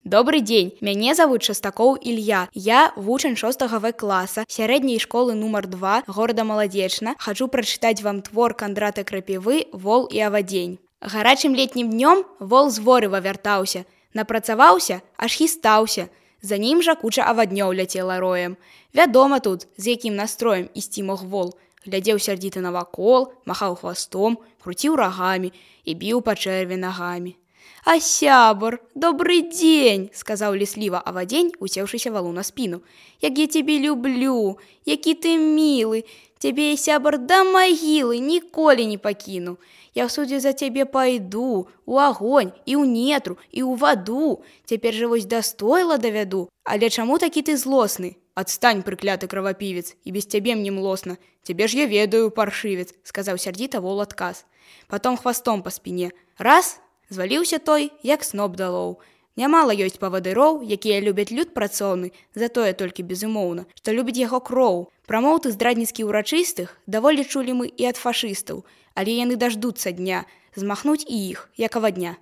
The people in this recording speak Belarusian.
Добрый день, мяне зовут Шастакоў Илья. Я вучань 6 В класа сярэдняй школы нумар 2 города Маладзечна. Хочу прачытаць вам твор Кандрата Крапівы «Вол і авадзень». Гарачым летнім днём вол з ворыва вяртаўся, напрацаваўся, аж хістаўся. За ім жа куча аваднёў ляцела роем. Вядома тут, з якім настроем ісці мог вол. Глядзеў сярдзіта навакол, махаў хвастом, круціў рагамі і біў па чэрве нагамі. «А сябар, добрый дзень!» – сказаў лісліва авадзень, усеўшыся валу на спіну. «Як я цябе люблю, які ты мілы! Цябе, сябар, да магілы ніколі не пакіну. Я ў судзе за цябе пайду, у агонь, і ў нетру, і ў ваду. Цяпер жа вось да стойла давяду. Але чаму такі ты злосны? Адстань, прыкляты кравапівец, і без цябе мне млосна. Цябе ж я ведаю, паршывец!» – сказаў сярдзіта вол адказ. Потом хвастом па спіне. Раз – зваліўся той, як сноп далоў. Нямала ёсць павадыроў, якія любяць люд працоўны, затое толькі безумоўна, што любіць яго кроў. Прамоўты здрадніцкі ўрачыстых даволі чулі мы і ад фашыстаў, але яны даждуцца дня, змахнуць і іх, як авадня.